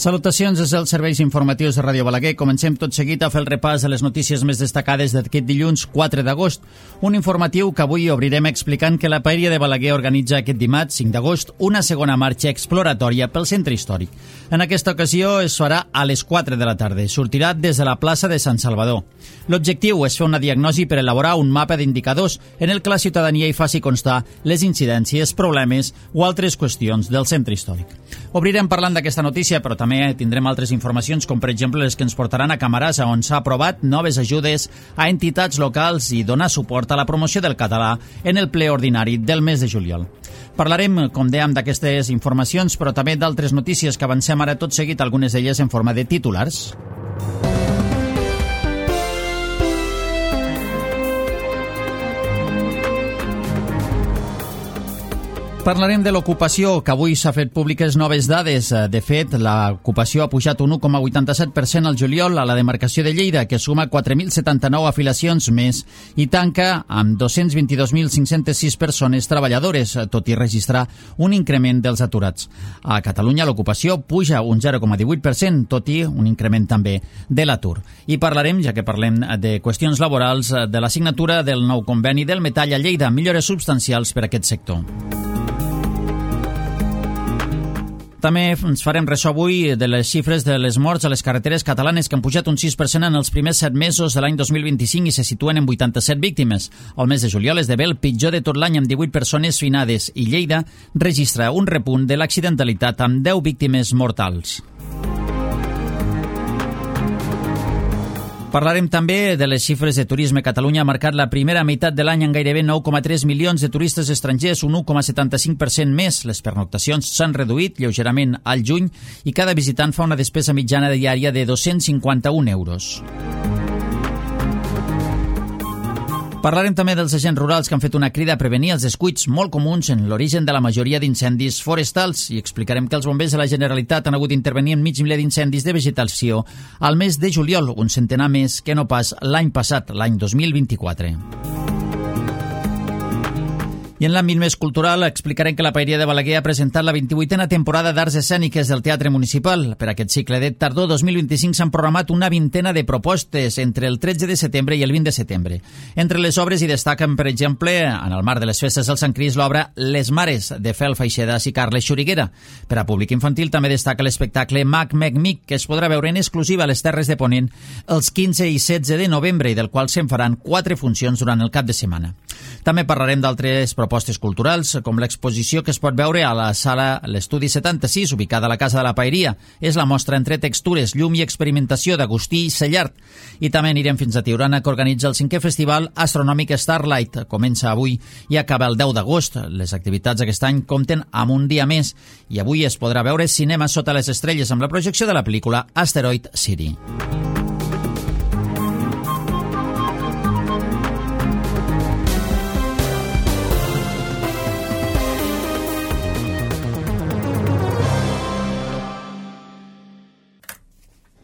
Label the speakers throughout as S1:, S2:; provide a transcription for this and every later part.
S1: Salutacions des dels serveis informatius de Ràdio Balaguer. Comencem tot seguit a fer el repàs de les notícies més destacades d'aquest dilluns 4 d'agost. Un informatiu que avui obrirem explicant que la Paeria de Balaguer organitza aquest dimarts 5 d'agost una segona marxa exploratòria pel centre històric. En aquesta ocasió es farà a les 4 de la tarda. Sortirà des de la plaça de Sant Salvador. L'objectiu és fer una diagnosi per elaborar un mapa d'indicadors en el que la ciutadania hi faci constar les incidències, problemes o altres qüestions del centre històric. Obrirem parlant d'aquesta notícia, però també tindrem altres informacions, com per exemple les que ens portaran a Camarasa, on s'ha aprovat noves ajudes a entitats locals i donar suport a la promoció del català en el ple ordinari del mes de juliol. Parlarem, com dèiem, d'aquestes informacions, però també d'altres notícies que avancem ara tot seguit, algunes d'elles en forma de titulars. Parlarem de l'ocupació, que avui s'ha fet públiques noves dades. De fet, l'ocupació ha pujat un 1,87% al juliol a la demarcació de Lleida, que suma 4.079 afiliacions més i tanca amb 222.506 persones treballadores, tot i registrar un increment dels aturats. A Catalunya l'ocupació puja un 0,18%, tot i un increment també de l'atur. I parlarem, ja que parlem de qüestions laborals, de la signatura del nou conveni del metall a Lleida, millores substancials per a aquest sector. També ens farem ressò avui de les xifres de les morts a les carreteres catalanes, que han pujat un 6% en els primers 7 mesos de l'any 2025 i se situen en 87 víctimes. El mes de juliol esdevé el pitjor de tot l'any, amb 18 persones finades, i Lleida registra un repunt de l'accidentalitat amb 10 víctimes mortals. Parlarem també de les xifres de turisme. Catalunya ha marcat la primera meitat de l'any amb gairebé 9,3 milions de turistes estrangers, un 1,75% més. Les pernoctacions s'han reduït lleugerament al juny i cada visitant fa una despesa mitjana diària de 251 euros. Parlarem també dels agents rurals que han fet una crida a prevenir els descuits molt comuns en l'origen de la majoria d'incendis forestals i explicarem que els bombers de la Generalitat han hagut d'intervenir en mig miler d'incendis de vegetació al mes de juliol, un centenar més que no pas l'any passat, l'any 2024. I en l'àmbit més cultural explicarem que la Paeria de Balaguer ha presentat la 28a temporada d'Arts Escèniques del Teatre Municipal. Per aquest cicle de tardor 2025 s'han programat una vintena de propostes entre el 13 de setembre i el 20 de setembre. Entre les obres hi destaquen, per exemple, en el marc de les festes del Sant Crist, l'obra Les Mares, de Fel Faixedas i Carles Xuriguera. Per a públic infantil també destaca l'espectacle Mac Mec Mic, que es podrà veure en exclusiva a les Terres de Ponent els 15 i 16 de novembre i del qual se'n faran 4 funcions durant el cap de setmana. També parlarem d'altres propostes culturals, com l'exposició que es pot veure a la sala L'Estudi 76, ubicada a la Casa de la Paeria. És la mostra entre textures, llum i experimentació d'Agustí Sellart. I també anirem fins a Tiurana, que organitza el 5è Festival Astronòmic Starlight. Comença avui i acaba el 10 d'agost. Les activitats aquest any compten amb un dia més i avui es podrà veure Cinema sota les estrelles amb la projecció de la pel·lícula Asteroid City.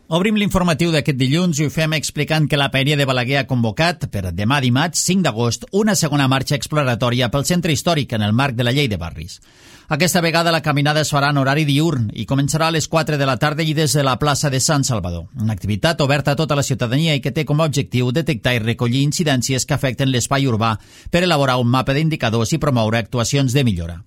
S1: Obrim l'informatiu d'aquest dilluns i ho fem explicant que la Paeria de Balaguer ha convocat per demà dimarts, 5 d'agost, una segona marxa exploratòria pel centre històric en el marc de la Llei de Barris. Aquesta vegada la caminada es farà en horari diürn i començarà a les 4 de la tarda i des de la plaça de Sant Salvador. Una activitat oberta a tota la ciutadania i que té com a objectiu detectar i recollir incidències que afecten l'espai urbà per elaborar un mapa d'indicadors i promoure actuacions de millora.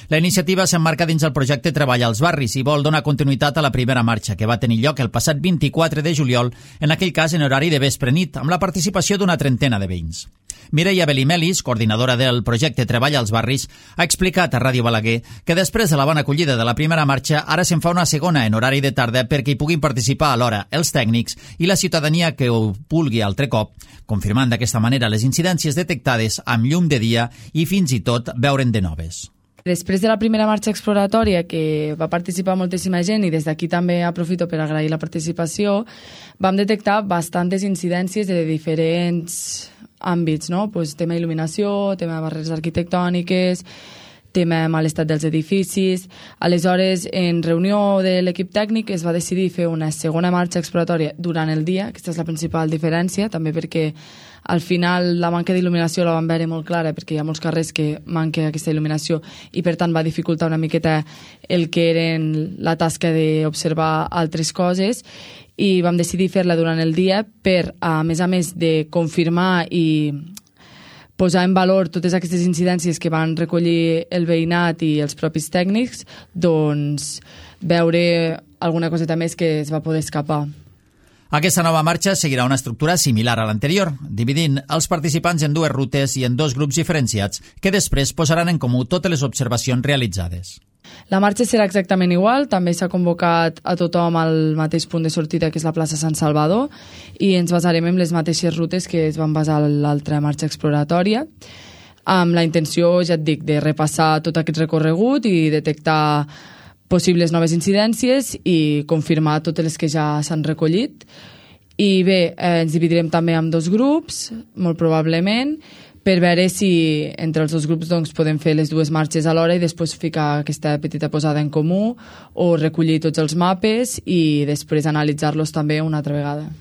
S1: La iniciativa s'emmarca dins el projecte Treball als Barris i vol donar continuïtat a la primera marxa, que va tenir lloc el passat 24 de juliol, en aquell cas en horari de vespre-nit, amb la participació d'una trentena de veïns. Mireia Belimelis, coordinadora del projecte Treball als Barris, ha explicat a Ràdio Balaguer que després de la bona acollida de la primera marxa, ara se'n fa una segona en horari de tarda perquè hi puguin participar alhora els tècnics i la ciutadania que ho vulgui altre cop, confirmant d'aquesta manera les incidències detectades amb llum de dia i fins i tot veure'n de noves.
S2: Després de la primera marxa exploratòria, que va participar moltíssima gent, i des d'aquí també aprofito per agrair la participació, vam detectar bastantes incidències de diferents àmbits, no? Pues, tema il·luminació, tema de barreres arquitectòniques, tema mal estat dels edificis. Aleshores, en reunió de l'equip tècnic es va decidir fer una segona marxa exploratòria durant el dia. Aquesta és la principal diferència, també perquè Al final la manca d'il·luminació la vam veure molt clara perquè hi ha molts carrers que manca aquesta il·luminació i per tant va dificultar una miqueta el que eren la tasca d'observar altres coses i vam decidir fer-la durant el dia per, a més de confirmar i posar en valor totes aquestes incidències que van recollir el veïnat i els propis tècnics, doncs veure alguna coseta més que es va poder escapar.
S1: Aquesta nova marxa seguirà una estructura similar a l'anterior, dividint els participants en dues rutes i en dos grups diferenciats que després posaran en comú totes les observacions realitzades.
S2: La marxa serà exactament igual, també s'ha convocat a tothom al mateix punt de sortida que és la plaça Sant Salvador i ens basarem en les mateixes rutes que es van basar a l'altra marxa exploratòria amb la intenció, ja et dic, de repassar tot aquest recorregut i detectar possibles noves incidències i confirmar totes les que ja s'han recollit. I bé, ens dividirem també en dos grups, molt probablement, per veure si entre els dos grups doncs, podem fer les dues marxes alhora i després ficar aquesta petita posada en comú o recollir tots els mapes i després analitzar-los també una altra vegada.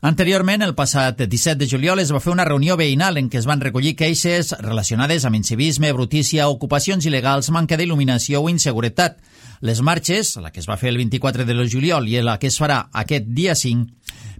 S1: Anteriorment, el passat 17 de juliol, es va fer una reunió veïnal en què es van recollir queixes relacionades amb incivisme, brutícia, ocupacions il·legals, manca d'il·luminació o inseguretat. Les marxes, la que es va fer el 24 de juliol i la que es farà aquest dia 5,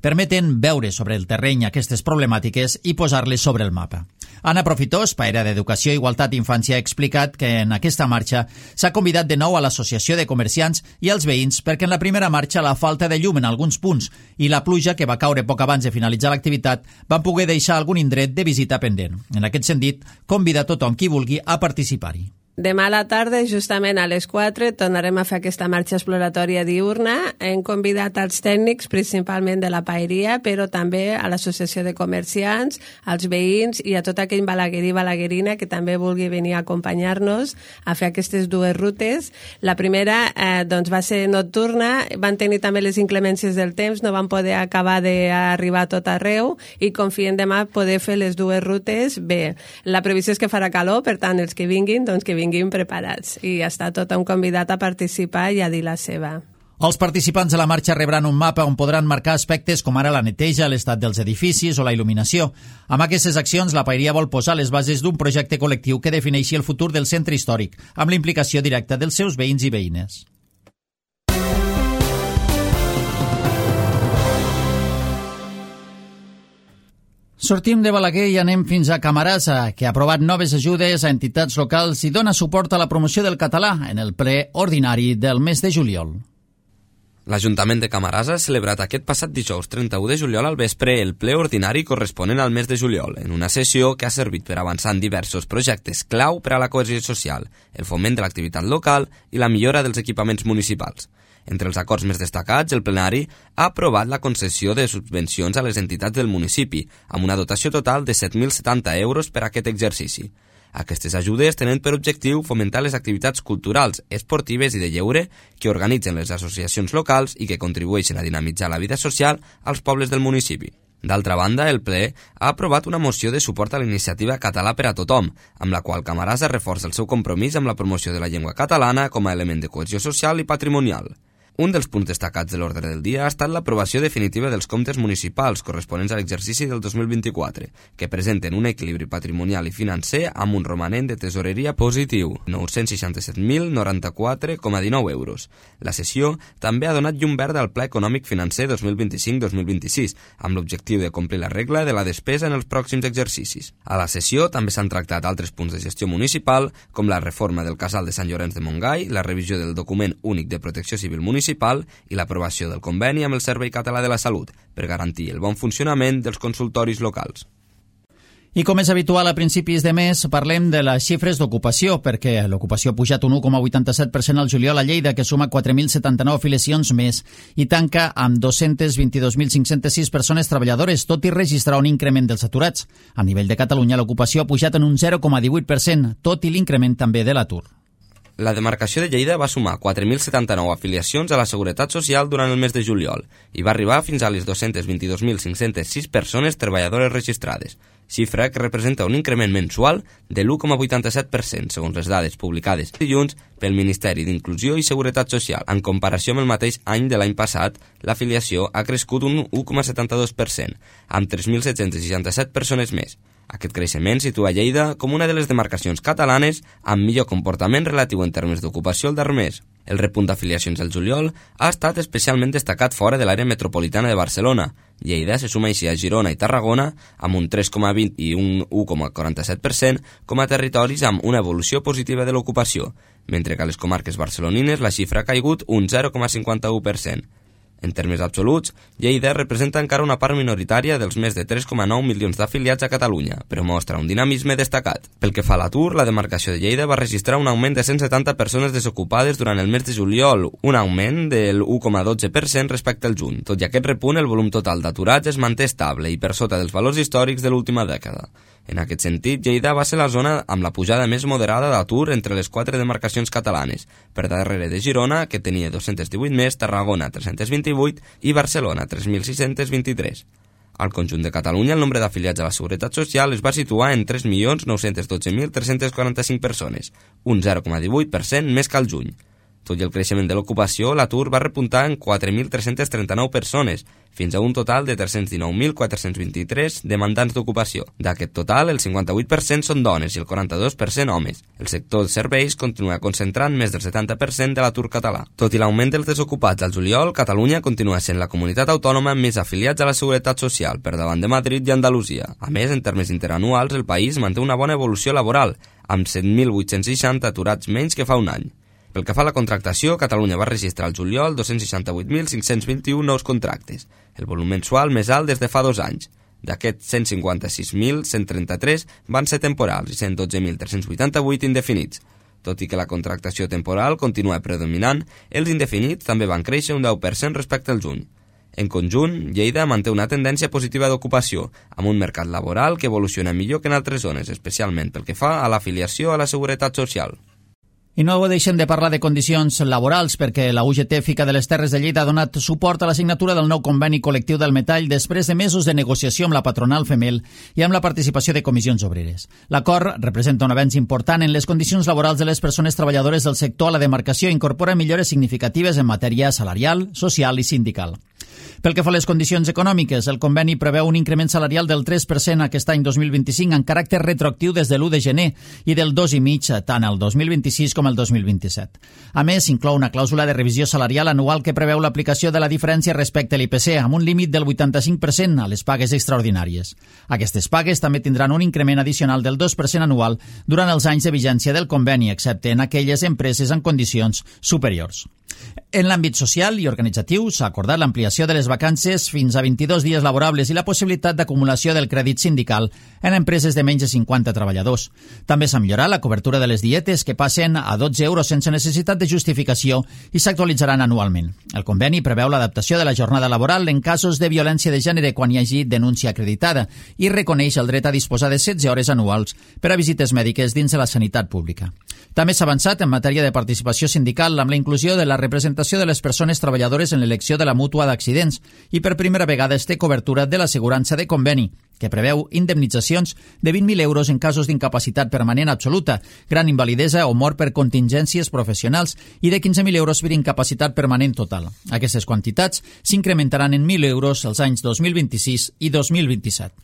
S1: permeten veure sobre el terreny aquestes problemàtiques i posar-les sobre el mapa. Anna Profitós, paera d'Educació, Igualtat i Infància, ha explicat que en aquesta marxa s'ha convidat de nou a l'Associació de Comerciants i als veïns perquè en la primera marxa la falta de llum en alguns punts i la pluja que va caure poc abans de finalitzar l'activitat van poder deixar algun indret de visita pendent. En aquest sentit, convida tothom qui vulgui a participar-hi.
S3: Demà a la tarda, justament a les 4, tornarem a fer aquesta marxa exploratòria diurna. Hem convidat als tècnics, principalment de la paeria, però també a l'Associació de Comerciants, als veïns i a tot aquell balaguerí i balaguerina que també vulgui venir a acompanyar-nos a fer aquestes dues rutes. La primera doncs va ser nocturna, van tenir també les inclemències del temps, no van poder acabar d'arribar a tot arreu i confiem demà poder fer les dues rutes bé. La previsió és que farà calor, per tant, els que vinguin, doncs que vinguin preparats i està tothom convidat a participar i a dir la seva.
S1: Els participants de la marxa rebran un mapa on podran marcar aspectes com ara la neteja, l'estat dels edificis o la il·luminació. Amb aquestes accions, la paeria vol posar les bases d'un projecte col·lectiu que defineixi el futur del centre històric, amb la implicació directa dels seus veïns i veïnes. Sortim de Balaguer i anem fins a Camarasa, que ha aprovat noves ajudes a entitats locals i dona suport a la promoció del català en el ple ordinari del mes de juliol.
S4: L'Ajuntament de Camarasa ha celebrat aquest passat dijous 31 de juliol al vespre el ple ordinari corresponent al mes de juliol, en una sessió que ha servit per avançar en diversos projectes clau per a la cohesió social, el foment de l'activitat local i la millora dels equipaments municipals. Entre els acords més destacats, el plenari ha aprovat la concessió de subvencions a les entitats del municipi, amb una dotació total de 7.070 euros per a aquest exercici. Aquestes ajudes tenen per objectiu fomentar les activitats culturals, esportives i de lleure que organitzen les associacions locals i que contribueixen a dinamitzar la vida social als pobles del municipi. D'altra banda, el ple ha aprovat una moció de suport a la iniciativa Català per a tothom, amb la qual Camarasa reforça el seu compromís amb la promoció de la llengua catalana com a element de cohesió social i patrimonial. Un dels punts destacats de l'ordre del dia ha estat l'aprovació definitiva dels comptes municipals corresponents a l'exercici del 2024, que presenten un equilibri patrimonial i financer amb un romanent de tesoreria positiu, 967.094,19 euros. La sessió també ha donat llum verda al Pla Econòmic Financer 2025-2026, amb l'objectiu de complir la regla de la despesa en els pròxims exercicis. A la sessió també s'han tractat altres punts de gestió municipal, com la reforma del Casal de Sant Llorenç de Montgai, la revisió del document únic de protecció civil municipal i l'aprovació del conveni amb el Servei Català de la Salut per garantir el bon funcionament dels consultoris locals.
S1: I com és habitual a principis de mes, parlem de les xifres d'ocupació, perquè l'ocupació ha pujat un 1,87% al juliol a Lleida, que suma 4.079 afiliacions més i tanca amb 222.506 persones treballadores, tot i registrar un increment dels aturats. A nivell de Catalunya, l'ocupació ha pujat en un 0,18%, tot i l'increment també de l'atur.
S4: La demarcació de Lleida va sumar 4.079 afiliacions a la Seguretat Social durant el mes de juliol i va arribar fins a les 222.506 persones treballadores registrades, xifra que representa un increment mensual de l'1,87% segons les dades publicades dilluns pel Ministeri d'Inclusió i Seguretat Social. En comparació amb el mateix any de l'any passat, l'afiliació ha crescut un 1,72%, amb 3.767 persones més. Aquest creixement situa Lleida com una de les demarcacions catalanes amb millor comportament relatiu en termes d'ocupació el darrer mes. El repunt d'afiliacions del juliol ha estat especialment destacat fora de l'àrea metropolitana de Barcelona. Lleida se suma així a Girona i Tarragona amb un 3,20 i un 1,47% com a territoris amb una evolució positiva de l'ocupació, mentre que a les comarques barcelonines la xifra ha caigut un 0,51%. En termes absoluts, Lleida representa encara una part minoritària dels més de 3,9 milions d'afiliats a Catalunya, però mostra un dinamisme destacat. Pel que fa a l'atur, la demarcació de Lleida va registrar un augment de 170 persones desocupades durant el mes de juliol, un augment del 1,12% respecte al juny. Tot i aquest repunt, el volum total d'aturats es manté estable i per sota dels valors històrics de l'última dècada. En aquest sentit, Lleida va ser la zona amb la pujada més moderada d'atur entre les 4 demarcacions catalanes, per darrere de Girona, que tenia 218 més, Tarragona 328 i Barcelona 3.623. Al conjunt de Catalunya, el nombre d'afiliats a la Seguretat Social es va situar en 3.912.345 persones, un 0,18% més que al juny. Tot i el creixement de l'ocupació, l'atur va repuntar en 4.339 persones, fins a un total de 319.423 demandants d'ocupació. D'aquest total, el 58% són dones i el 42% homes. El sector de serveis continua concentrant més del 70% de l'atur català. Tot i l'augment dels desocupats al juliol, Catalunya continua sent la comunitat autònoma amb més afiliats a la Seguretat Social, per davant de Madrid i Andalusia. A més, en termes interanuals, el país manté una bona evolució laboral, amb 7.860 aturats menys que fa un any. Pel que fa a la contractació, Catalunya va registrar al juliol 268.521 nous contractes, el volum mensual més alt des de fa 2 anys. D'aquests, 156.133 van ser temporals i 112.388 indefinits. Tot i que la contractació temporal continua predominant, els indefinits també van créixer un 10% respecte al juny. En conjunt, Lleida manté una tendència positiva d'ocupació, amb un mercat laboral que evoluciona millor que en altres zones, especialment pel que fa a l'afiliació a la Seguretat Social.
S1: I no deixem de parlar de condicions laborals perquè la UGT Fica de les Terres de Lleida ha donat suport a la signatura del nou conveni col·lectiu del metall després de mesos de negociació amb la patronal Femel i amb la participació de comissions obreres. L'acord representa un avenç important en les condicions laborals de les persones treballadores del sector a la demarcació i incorpora millores significatives en matèria salarial, social i sindical. Pel que fa a les condicions econòmiques, el conveni preveu un increment salarial del 3% aquest any 2025 en caràcter retroactiu des de l'1 de gener i del 2,5% tant el 2026 com el 2027. A més, inclou una clàusula de revisió salarial anual que preveu l'aplicació de la diferència respecte a l'IPC amb un límit del 85% a les pagues extraordinàries. Aquestes pagues també tindran un increment addicional del 2% anual durant els anys de vigència del conveni, excepte en aquelles empreses en condicions superiors. En l'àmbit social i organitzatiu s'ha acordat l'ampliació de les vacances fins a 22 dies laborables i la possibilitat d'acumulació del crèdit sindical en empreses de menys de 50 treballadors. També s'ha millorat la cobertura de les dietes que passen a 12 euros sense necessitat de justificació i s'actualitzaran anualment. El conveni preveu l'adaptació de la jornada laboral en casos de violència de gènere quan hi hagi denúncia acreditada i reconeix el dret a disposar de 16 hores anuals per a visites mèdiques dins de la sanitat pública. També s'ha avançat en matèria de participació sindical amb la inclusió de la representació de les persones treballadores en l'elecció de la mútua d'accidents i per primera vegada es té cobertura de l'assegurança de conveni, que preveu indemnitzacions de 20.000 euros en casos d'incapacitat permanent absoluta, gran invalidesa o mort per contingències professionals i de 15.000 euros per incapacitat permanent total. Aquestes quantitats s'incrementaran en 1.000 euros els anys 2026 i 2027.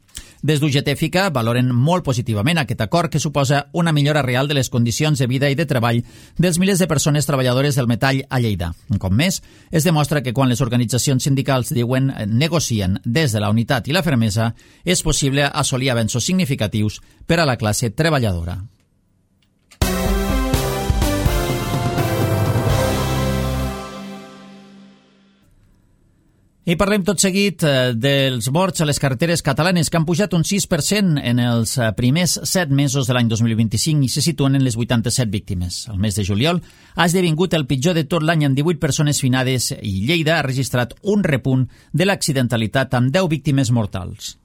S1: Des d'UGT Fica valoren molt positivament aquest acord que suposa una millora real de les condicions de vida i de treball dels milers de persones treballadores del metall a Lleida. Un cop més, es demostra que quan les organitzacions sindicals diuen negocien des de la unitat i la fermesa, és possible assolir avenços significatius per a la classe treballadora. I parlem tot seguit dels morts a les carreteres catalanes que han pujat un 6% en els primers 7 mesos de l'any 2025 i se situen en les 87 víctimes. El mes de juliol ha esdevingut el pitjor de tot l'any amb 18 persones finades i Lleida ha registrat un repunt de l'accidentalitat amb 10 víctimes mortals.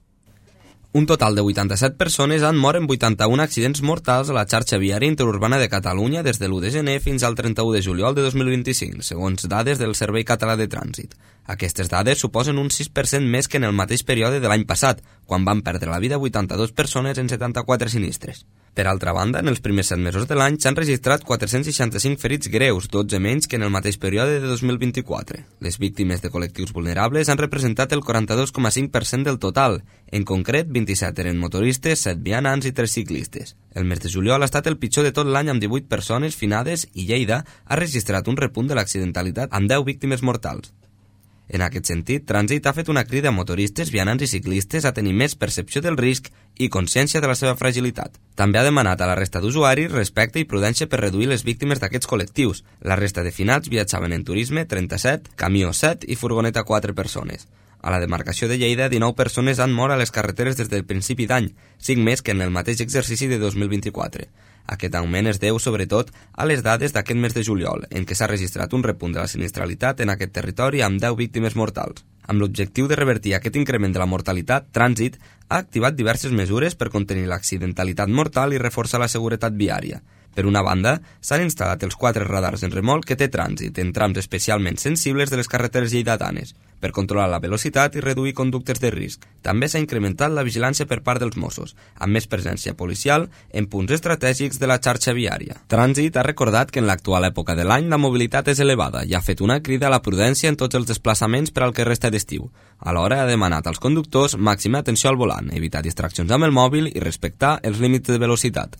S4: Un total de 87 persones han mort en 81 accidents mortals a la xarxa viària interurbana de Catalunya des de l'1 de gener fins al 31 de juliol de 2025, segons dades del Servei Català de Trànsit. Aquestes dades suposen un 6% més que en el mateix període de l'any passat, quan van perdre la vida 82 persones en 74 sinistres. Per altra banda, en els primers 7 mesos de l'any s'han registrat 465 ferits greus, 12 menys que en el mateix període de 2024. Les víctimes de col·lectius vulnerables han representat el 42,5% del total. En concret, 27 eren motoristes, 7 vianants i 3 ciclistes. El mes de juliol ha estat el pitjor de tot l'any amb 18 persones finades i Lleida ha registrat un repunt de l'accidentalitat amb 10 víctimes mortals. En aquest sentit, Trànsit ha fet una crida a motoristes, vianants i ciclistes a tenir més percepció del risc i consciència de la seva fragilitat. També ha demanat a la resta d'usuaris respecte i prudència per reduir les víctimes d'aquests col·lectius. La resta de finats viatjaven en turisme, 37, camió 7 i furgoneta 4 persones. A la demarcació de Lleida, 19 persones han mort a les carreteres des del principi d'any, 5 més que en el mateix exercici de 2024. Aquest augment es deu, sobretot, a les dades d'aquest mes de juliol, en què s'ha registrat un repunt de la sinistralitat en aquest territori amb 10 víctimes mortals. Amb l'objectiu de revertir aquest increment de la mortalitat, Trànsit ha activat diverses mesures per contenir l'accidentalitat mortal i reforçar la seguretat viària. Per una banda, s'han instal·lat els 4 radars en remolc que té Trànsit en trams especialment sensibles de les carreteres lleidatanes, per controlar la velocitat i reduir conductes de risc. També s'ha incrementat la vigilància per part dels Mossos, amb més presència policial en punts estratègics de la xarxa viària. Trànsit ha recordat que en l'actual època de l'any la mobilitat és elevada i ha fet una crida a la prudència en tots els desplaçaments per al que resta d'estiu. Alhora ha demanat als conductors màxima atenció al volant, evitar distraccions amb el mòbil i respectar els límits de velocitat.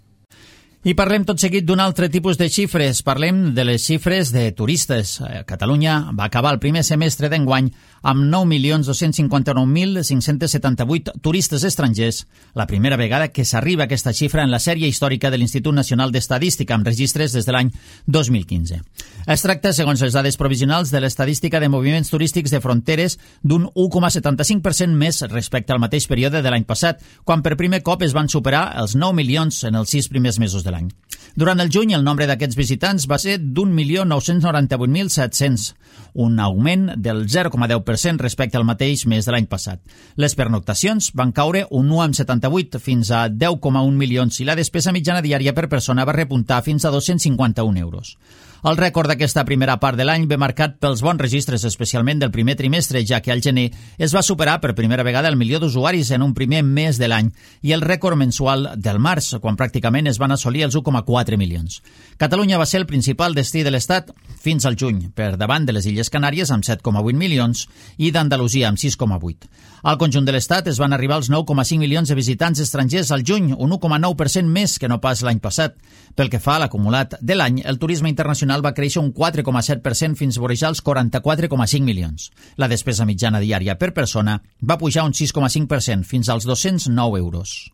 S1: I parlem tot seguit d'un altre tipus de xifres. Parlem de les xifres de turistes. Catalunya va acabar el primer semestre d'enguany amb 9.259.578 turistes estrangers, la primera vegada que s'arriba a aquesta xifra en la sèrie històrica de l'Institut Nacional d'Estadística, amb registres des de l'any 2015. Es tracta, segons les dades provisionals de l'Estadística de Moviments Turístics de Fronteres, d'un 1,75% més respecte al mateix període de l'any passat, quan per primer cop es van superar els 9 milions en els 6 primers mesos de l'any. Durant el juny, el nombre d'aquests visitants va ser d'1.998.700, un augment del 0,10% respecte al mateix mes de l'any passat. Les pernoctacions van caure un 1,78 fins a 10,1 milions i la despesa mitjana diària per persona va repuntar fins a 251 euros. El rècord d'aquesta primera part de l'any ve marcat pels bons registres, especialment del primer trimestre, ja que al gener es va superar per primera vegada el milió d'usuaris en un primer mes de l'any i el rècord mensual del març, quan pràcticament es van assolir els 1,4 milions. Catalunya va ser el principal destí de l'Estat fins al juny, per davant de les Illes Canàries amb 7,8 milions i d'Andalusia amb 6,8. Al conjunt de l'Estat es van arribar als 9,5 milions de visitants estrangers al juny, un 1,9% més que no pas l'any passat. Pel que fa a l'acumulat de l'any, el turisme internacional va créixer un 4,7% fins a vorejar els 44,5 milions. La despesa mitjana diària per persona va pujar un 6,5% fins als 209 euros.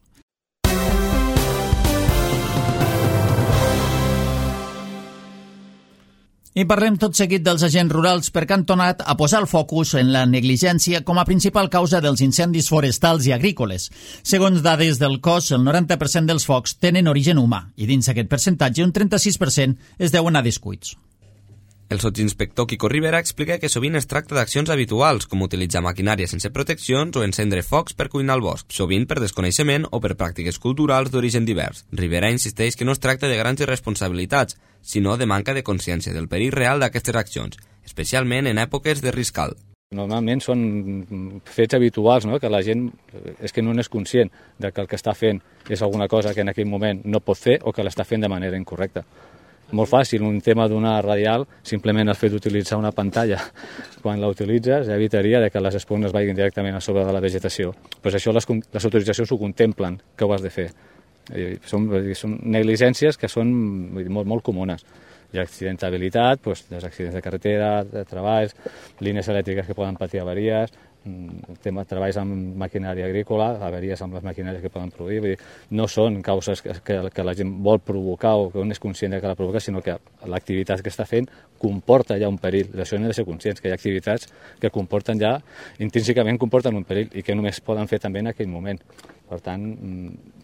S1: I parlem tot seguit dels agents rurals perquè han tornat a posar el focus en la negligència com a principal causa dels incendis forestals i agrícoles. Segons dades del cos, el 90% dels focs tenen origen humà i dins aquest percentatge un 36% es deuen a descuits.
S4: El sotsinspector Quico Rivera explica que sovint es tracta d'accions habituals, com utilitzar maquinària sense proteccions o encendre focs per cuinar al bosc, sovint per desconeixement o per pràctiques culturals d'origen divers. Rivera insisteix que no es tracta de grans irresponsabilitats, sinó de manca de consciència del perill real d'aquestes accions, especialment en èpoques de risc alt.
S5: Normalment són fets habituals, no? Que la gent és que no n'és conscient de que el que està fent és alguna cosa que en aquell moment no pot fer o que l'està fent de manera incorrecta. Molt fàcil, un tema d'una radial, simplement el fet d'utilitzar una pantalla. Quan la utilitzes ja evitaria que les espugnes vagin directament a sobre de la vegetació. Pues això les autoritzacions ho contemplen, que ho has de fer. Són negligències que són molt, molt comunes. Hi ha accidentabilitat, doncs, dels accidents de carretera, de treballs, línies elèctriques que poden patir avaries, treballs amb maquinària agrícola, avaries amb les maquinàries que poden produir. Vull dir, no són causes que la gent vol provocar o que un és conscient que la provoca, sinó que l'activitat que està fent comporta ja un perill. D'això hem de ser conscients, que hi ha activitats que comporten ja, intrínsecament comporten un perill i que només poden fer també en aquell moment. Per tant,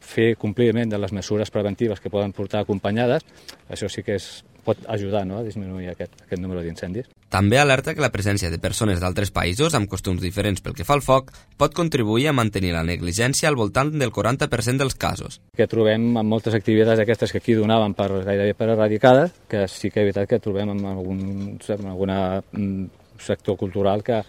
S5: fer compliment de les mesures preventives que poden portar acompanyades, això sí que és pot ajudar, no?, a disminuir aquest número d'incendis.
S4: També alerta que la presència de persones d'altres països amb costums diferents pel que fa al foc pot contribuir a mantenir la negligència al voltant del 40% dels casos.
S5: Que trobem en moltes activitats aquestes que aquí donaven gairebé per erradicades, que sí que és veritat que trobem en algun sector cultural que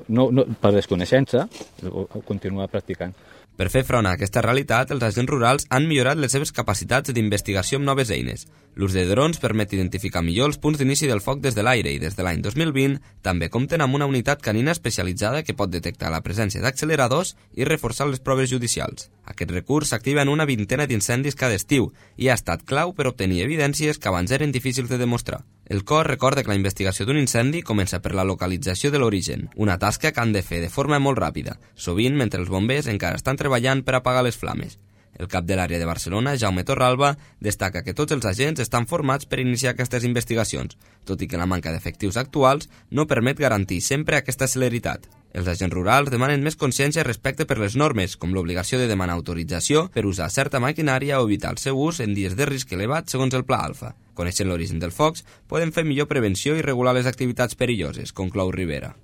S5: no, per desconeixença ho continua practicant.
S4: Per fer front a aquesta realitat, els agents rurals han millorat les seves capacitats d'investigació amb noves eines. L'ús de drons permet identificar millor els punts d'inici del foc des de l'aire i des de l'any 2020 també compten amb una unitat canina especialitzada que pot detectar la presència d'acceleradors i reforçar les proves judicials. Aquest recurs s'activa en una vintena d'incendis cada estiu i ha estat clau per obtenir evidències que abans eren difícils de demostrar. El cos recorda que la investigació d'un incendi comença per la localització de l'origen, una tasca que han de fer de forma molt ràpida, sovint mentre els bombers encara estan treballant per apagar les flames. El cap de l'àrea de Barcelona, Jaume Torralba, destaca que tots els agents estan formats per iniciar aquestes investigacions, tot i que la manca d'efectius actuals no permet garantir sempre aquesta celeritat. Els agents rurals demanen més consciència respecte per les normes, com l'obligació de demanar autorització per usar certa maquinària o evitar el seu ús en dies de risc elevat segons el Pla Alfa. Coneixent l'origen dels focs, poden fer millor prevenció i regular les activitats perilloses, conclou Rivera.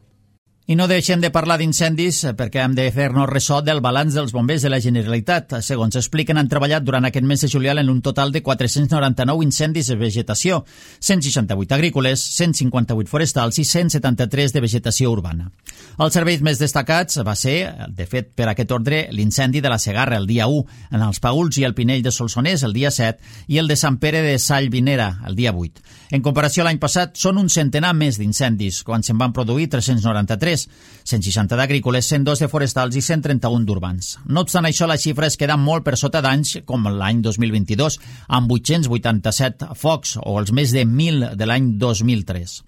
S1: I no deixem de parlar d'incendis perquè hem de fer-nos ressò del balanç dels bombers de la Generalitat. Segons expliquen, han treballat durant aquest mes de juliol en un total de 499 incendis de vegetació, 168 agrícoles, 158 forestals i 173 de vegetació urbana. Els serveis més destacats va ser, de fet, per aquest ordre, l'incendi de la Segarra el dia 1, en els Paüls i el Pinell de Solsonès el dia 7 i el de Sant Pere de Sallvinera el dia 8. En comparació a l'any passat, són un centenar més d'incendis, quan se'n van produir 393, 160 d'agrícoles, 102 de forestals i 131 d'urbans. No obstant això, la xifra es queda molt per sota d'anys com l'any 2022, amb 887 focs, o els més de 1.000 de l'any 2003.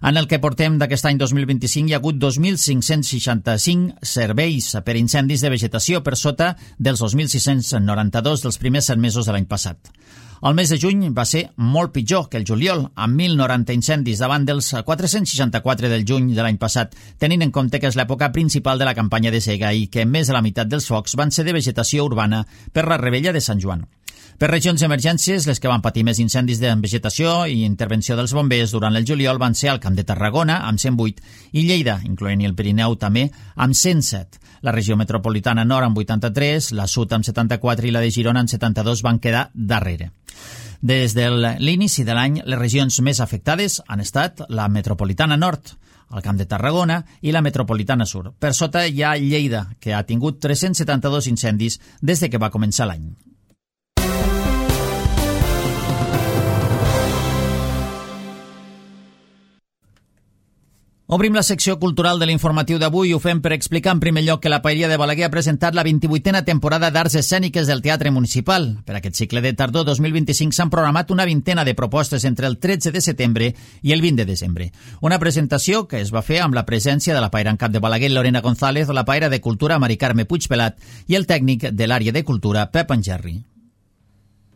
S1: En el que portem d'aquest any 2025 hi ha hagut 2.565 serveis per incendis de vegetació per sota dels 2.692 dels primers 7 mesos de l'any passat. El mes de juny va ser molt pitjor que el juliol, amb 1.090 incendis davant dels 464 del juny de l'any passat, tenint en compte que és l'època principal de la campanya de sega i que més de la meitat dels focs van ser de vegetació urbana per la Revetlla de Sant Joan. Per regions d'emergències, les que van patir més incendis de vegetació i intervenció dels bombers durant el juliol van ser el Camp de Tarragona, amb 108, i Lleida, incloent-hi el Pirineu també, amb 107. La regió metropolitana nord amb 83, la sud amb 74 i la de Girona amb 72 van quedar darrere. Des de l'inici de l'any, les regions més afectades han estat la metropolitana nord, el Camp de Tarragona i la metropolitana sur. Per sota hi ha Lleida, que ha tingut 372 incendis des de que va començar l'any. Obrim la secció cultural de l'informatiu d'avui i ho fem per explicar en primer lloc que la Paeria de Balaguer ha presentat la 28a temporada d'Arts Escèniques del Teatre Municipal. Per aquest cicle de tardor 2025 s'han programat una vintena de propostes entre el 13 de setembre i el 20 de desembre. Una presentació que es va fer amb la presència de la paera en cap de Balaguer, Lorena González, la paera de Cultura, Mari Carme Puigpelat, i el tècnic de l'àrea de Cultura, Pep Angerri.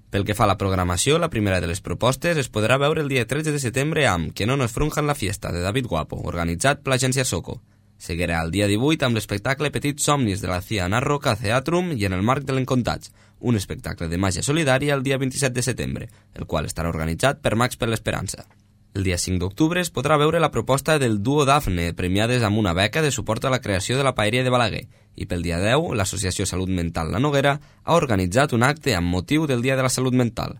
S4: Pel que fa a la programació, la primera de les propostes es podrà veure el dia 13 de setembre amb Que no nos frunjan la fiesta, de David Guapo, organitzat per l'agència Soco. Seguirà el dia 18 amb l'espectacle Petits somnis de la Cia Narroca Theatrum i en el marc de l'Encontats, un espectacle de màgia solidària el dia 27 de setembre, el qual estarà organitzat per Max per l'Esperança. El dia 5 d'octubre es podrà veure la proposta del duo Dafne, premiades amb una beca de suport a la creació de la Paeria de Balaguer, i pel dia 10, l'Associació Salut Mental La Noguera ha organitzat un acte amb motiu del Dia de la Salut Mental.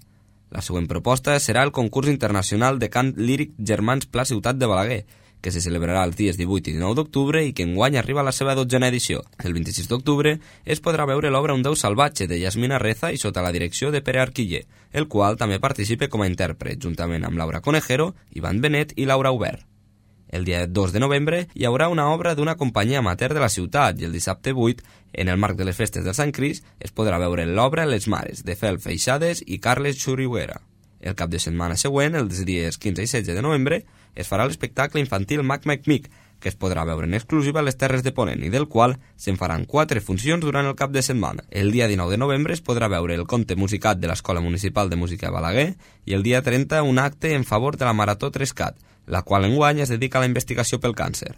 S4: La següent proposta serà el concurs internacional de cant líric Germans Pla Ciutat de Balaguer, que se celebrarà els dies 18 i 19 d'octubre i que enguany arriba a la seva 12a edició. El 26 d'octubre es podrà veure l'obra Un Déu salvatge de Yasmina Reza i sota la direcció de Pere Arquiller, el qual també participa com a intèrpret, juntament amb Laura Conejero, Ivan Benet i Laura Aubert. El dia 2 de novembre hi haurà una obra d'una companyia amateur de la ciutat i el dissabte 8, en el marc de les festes del Sant Crist, es podrà veure l'obra Les Mares, de Fel Feixades i Carles Xuriguera. El cap de setmana següent, els dies 15 i 16 de novembre, es farà l'espectacle infantil Mac Mac Mic, que es podrà veure en exclusiva a les Terres de Ponent i del qual se'n faran 4 funcions durant el cap de setmana. El dia 19 de novembre es podrà veure el conte musicat de l'Escola Municipal de Música de Balaguer i el dia 30 un acte en favor de la Marató 3CAT, la qual enguany es dedica a la investigació pel càncer.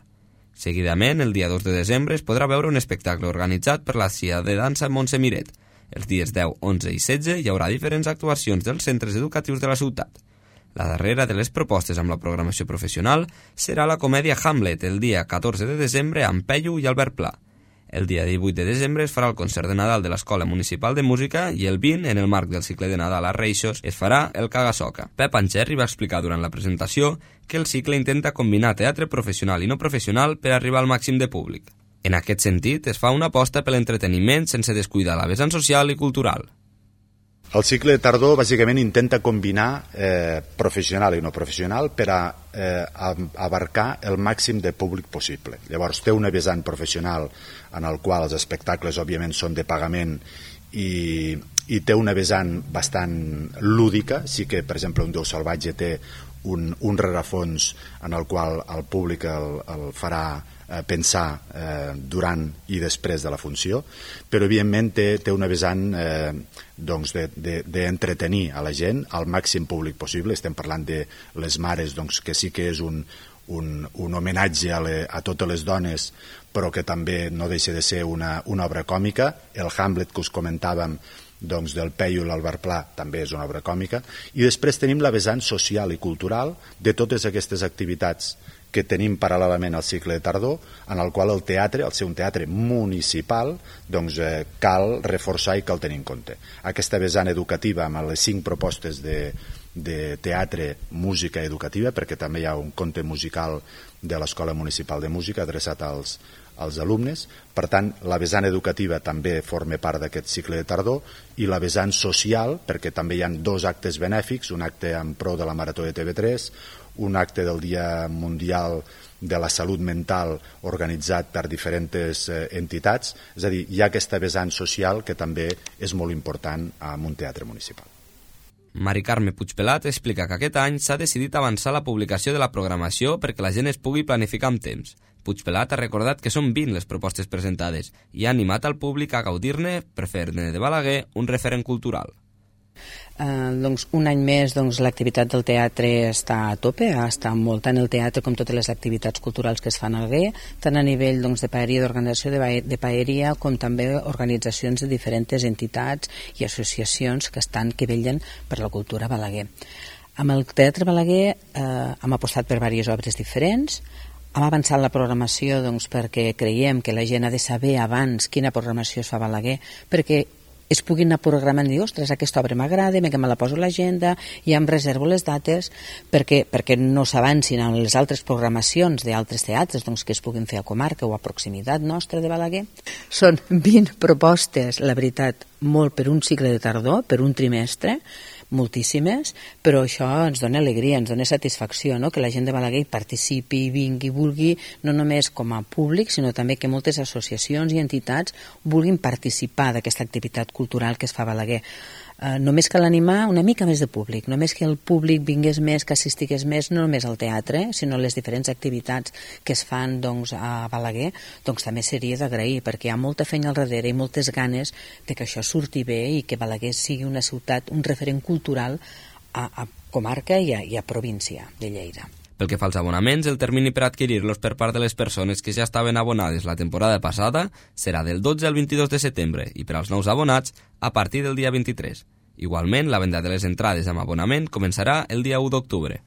S4: Seguidament, el dia 2 de desembre es podrà veure un espectacle organitzat per la CIA de dansa Montse Miret. Els dies 10, 11 i 16 hi haurà diferents actuacions dels centres educatius de la ciutat. La darrera de les propostes amb la programació professional serà la comèdia Hamlet el dia 14 de desembre amb Peyu i Albert Pla. El dia 18 de desembre es farà el concert de Nadal de l'Escola Municipal de Música i el 20, en el marc del cicle de Nadal a Reixos, es farà el Caga-Soca. Pep Ancherri va explicar durant la presentació que el cicle intenta combinar teatre professional i no professional per arribar al màxim de públic. En aquest sentit, es fa una aposta per l'entreteniment sense descuidar la vessant social i cultural.
S6: El cicle de tardor bàsicament intenta combinar professional i no professional per a abarcar el màxim de públic possible. Llavors té una vessant professional en el qual els espectacles òbviament són de pagament i té una vessant bastant lúdica. Sí que, per exemple, Un Déu salvatge té un rerefons en el qual el públic el farà pensar durant i després de la funció, però evidentment té una vessant d'entretenir a la gent al màxim públic possible. Estem parlant de les mares, que sí que és un homenatge a totes les dones, però que també no deixa de ser una obra còmica. El Hamlet que us comentàvem del Peyu i l'Albert Pla també és una obra còmica. I després tenim la vessant social i cultural de totes aquestes activitats que tenim paral·lelament al cicle de tardor, en el qual el teatre, al ser un teatre municipal, cal reforçar i cal tenir en compte. Aquesta vessant educativa amb les 5 propostes de teatre, música educativa, perquè també hi ha un conte musical de l'Escola Municipal de Música adreçat als alumnes. Per tant, la vessant educativa també forma part d'aquest cicle de tardor, i la vessant social, perquè també hi ha 2 actes benèfics, un acte en pro de la Marató de TV3, un acte del Dia Mundial de la Salut Mental organitzat per diferents entitats. És a dir, hi ha aquesta vessant social que també és molt important en un teatre municipal.
S4: Mari Carme Puigpelat explica que aquest any s'ha decidit avançar la publicació de la programació perquè la gent es pugui planificar amb temps. Puigpelat ha recordat que són 20 les propostes presentades i ha animat al públic a gaudir-ne per fer-ne de Balaguer un referent cultural.
S7: Un any més l'activitat del teatre està a tope, està molt tant el teatre com totes les activitats culturals que es fan a Balaguer, tant a nivell de paeria, d'organització de paeria, com també organitzacions de diferents entitats i associacions que vetllen per la cultura a Balaguer. Amb el Teatre Balaguer hem apostat per diverses obres diferents. Hem avançat la programació perquè creiem que la gent ha de saber abans quina programació es fa a Balaguer, perquè es puguin anar programant i dir, ostres, aquesta obra m'agrada, que me la poso a l'agenda, i em reservo les dates perquè no s'avancin en les altres programacions d'altres teatres que es puguin fer a comarca o a proximitat nostra de Balaguer. Són 20 propostes, la veritat, molt per un cicle de tardor, per un trimestre, moltíssimes, però això ens dona alegria, ens dona satisfacció, no? Que la gent de Balaguer participi, vingui, vulgui, no només com a públic, sinó també que moltes associacions i entitats vulguin participar d'aquesta activitat cultural que es fa a Balaguer. Només cal animar una mica més de públic, només que el públic vingués més, que assistigués més, no només al teatre, sinó a les diferents activitats que es fan a Balaguer, també seria d'agrair, perquè hi ha molta feina al darrere i moltes ganes de que això surti bé i que Balaguer sigui una ciutat, un referent cultural a comarca i a província de Lleida.
S4: Pel que fa als abonaments, el termini per adquirir-los per part de les persones que ja estaven abonades la temporada passada serà del 12 al 22 de setembre i per als nous abonats a partir del dia 23. Igualment, la venda de les entrades amb abonament començarà el dia 1 d'octubre.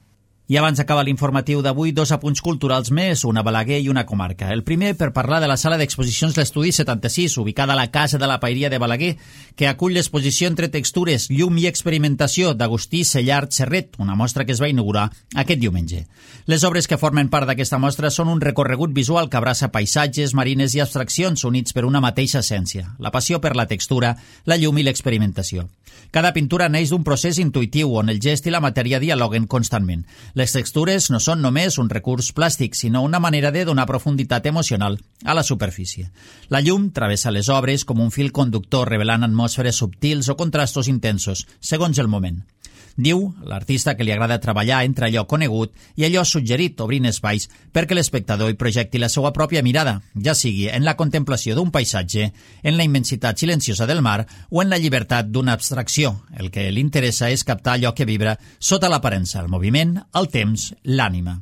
S1: I abans d'acaba l'informatiu d'avui, 2 apunts culturals més, una a Balaguer i una comarca. El primer per parlar de la sala d'exposicions L'Estudi 76, ubicada a la Casa de la Paeria de Balaguer, que acull l'exposició Entre textures, llum i experimentació d'Agustí Sellart Serret, una mostra que es va inaugurar aquest diumenge. Les obres que formen part d'aquesta mostra són un recorregut visual que abraça paisatges, marines i abstraccions units per una mateixa essència, la passió per la textura, la llum i l'experimentació. Cada pintura neix d'un procés intuïtiu on el gest i la matèria dialoguen constantment. Les textures no són només un recurs plàstic, sinó una manera de donar profunditat emocional a la superfície. La llum travessa les obres com un fil conductor revelant atmosferes subtils o contrastos intensos, segons el moment. Diu l'artista que li agrada treballar entre allò conegut i allò suggerit, obrint espais perquè l'espectador hi projecti la seva pròpia mirada, ja sigui en la contemplació d'un paisatge, en la immensitat silenciosa del mar o en la llibertat d'una abstracció. El que li interessa és captar allò que vibra sota l'aparença, el moviment, el temps, l'ànima.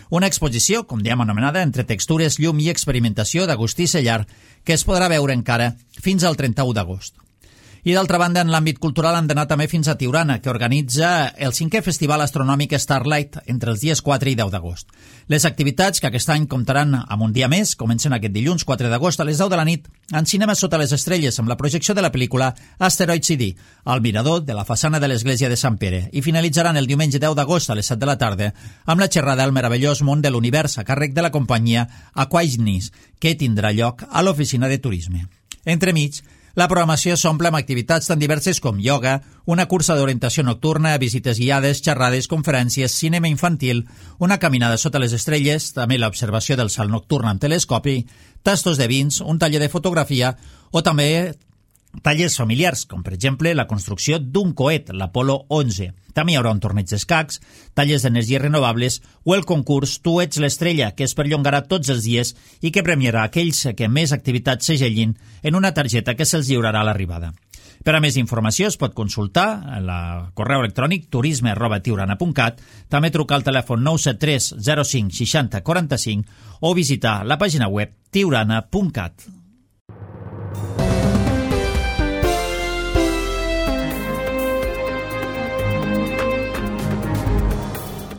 S1: Una exposició, com diem anomenada, entre textures, llum i experimentació d'Agustí Sellart, que es podrà veure encara fins al 31 d'agost. I d'altra banda, en l'àmbit cultural hem d'anar també fins a Tiurana, que organitza el 5è Festival Astronòmic Starlight entre els dies 4 i 10 d'agost. Les activitats, que aquest any comptaran amb un dia més, comencen aquest dilluns 4 d'agost a les 10 de la nit en Cinema Sota les Estrelles, amb la projecció de la pel·lícula Asteroid City, al mirador de la façana de l'església de Sant Pere, i finalitzaran el diumenge 10 d'agost a les 7 de la tarda amb la xerrada al meravellós món de l'univers a càrrec de la companyia Aquaignis, que tindrà lloc a l'oficina de turisme. Entremig, la programació s'omple amb activitats tan diverses com ioga, una cursa d'orientació nocturna, visites guiades, xerrades, conferències, cinema infantil, una caminada sota les estrelles, també l'observació del cel nocturn amb telescopi, tastos de vins, un taller de fotografia o també tallers familiars, com per exemple la construcció d'un coet, l'Apolo 11. També hi haurà un torneig d'escacs, tallers d'energies renovables o el concurs Tu ets l'estrella, que es perllongarà tots els dies i que premiarà aquells que més activitats segellin en una targeta que se'ls lliurarà a l'arribada. Per a més informació es pot consultar al correu electrònic turisme@tiurana.cat, també trucar al telèfon 973 05 60 45 o visitar la pàgina web tiurana.cat.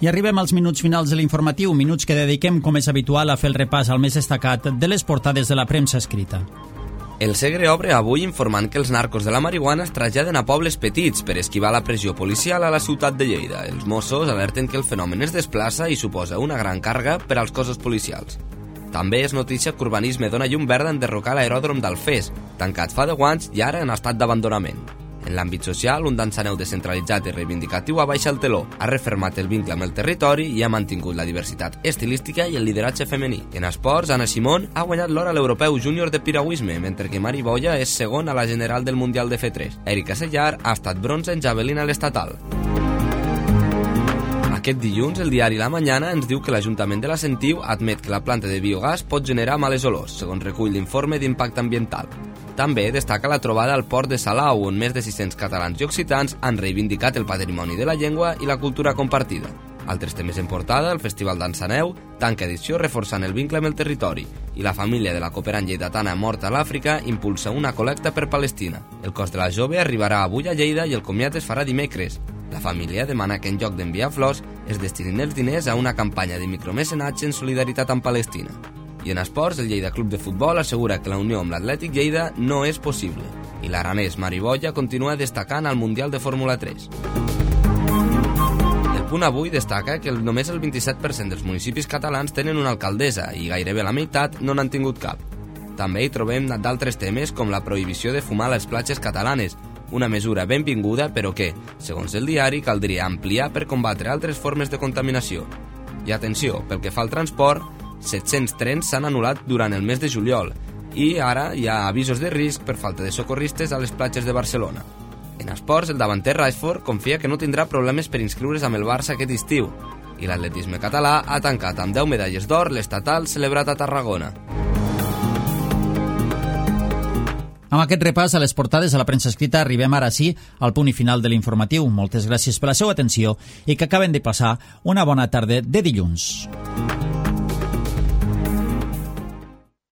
S1: I arribem als minuts finals de l'informatiu, minuts que dediquem, com és habitual, a fer el repàs al més destacat de les portades de la premsa escrita.
S4: El Segre obre avui informant que els narcos de la marihuana es traslladen a pobles petits per esquivar la pressió policial a la ciutat de Lleida. Els Mossos alerten que el fenomen es desplaça i suposa una gran càrrega per als cossos policials. També és notícia que Urbanisme dona llum verda en derrocar l'aeròdrom d'Alfés, tancat fa 10 anys i ara en estat d'abandonament. En l'àmbit social, un dansaneu descentralitzat i reivindicatiu abaixa el teló, ha refermat el vincle amb el territori i ha mantingut la diversitat estilística i el lideratge femení. En esports, Anna Simón ha guanyat l'or a l'Europeu Júnior de piragüisme, mentre que Mari Boya és segon a la general del Mundial de F3. Erika Sellar ha estat bronze en javelina a l'estatal. Aquest dilluns, el diari La Mañana ens diu que l'Ajuntament de la Sentiu admet que la planta de biogàs pot generar males olors, segons recull l'informe d'impacte ambiental. També destaca la trobada al port de Salau, on més de 600 catalans i occitans han reivindicat el patrimoni de la llengua i la cultura compartida. Altres temes en portada, el Festival d'Ansaneu, tanca edició reforçant el vincle amb el territori, i la família de la cooperant lleidatana morta a l'Àfrica impulsa una col·lecta per Palestina. El cos de la jove arribarà avui a Lleida i el comiat es farà dimecres. La família demana que en lloc d'enviar flors es destinin els diners a una campanya de micromecenatge en solidaritat amb Palestina. I en esports, el Lleida Club de Futbol assegura que la unió amb l'Atlètic Lleida no és possible. I l'aranès Mari Boya continua destacant al Mundial de Fórmula 3. El Punt Avui destaca que només el 27% dels municipis catalans tenen una alcaldessa i gairebé la meitat no n'han tingut cap. També hi trobem d'altres temes com la prohibició de fumar a les platges catalanes, una mesura benvinguda però que, segons el diari, caldria ampliar per combatre altres formes de contaminació. I atenció, pel que fa al transport, 700 trens s'han anul·lat durant el mes de juliol i ara hi ha avisos de risc per falta de socorristes a les platges de Barcelona. En esports, el davanter Rashford confia que no tindrà problemes per inscriure's amb el Barça aquest estiu i l'atletisme català ha tancat amb 10 medalles d'or l'estatal celebrat a Tarragona.
S1: Amb aquest repàs a les portades de la premsa escrita arribem ara sí al punt i final de l'informatiu. Moltes gràcies per la seva atenció i que acaben de passar una bona tarda de dilluns.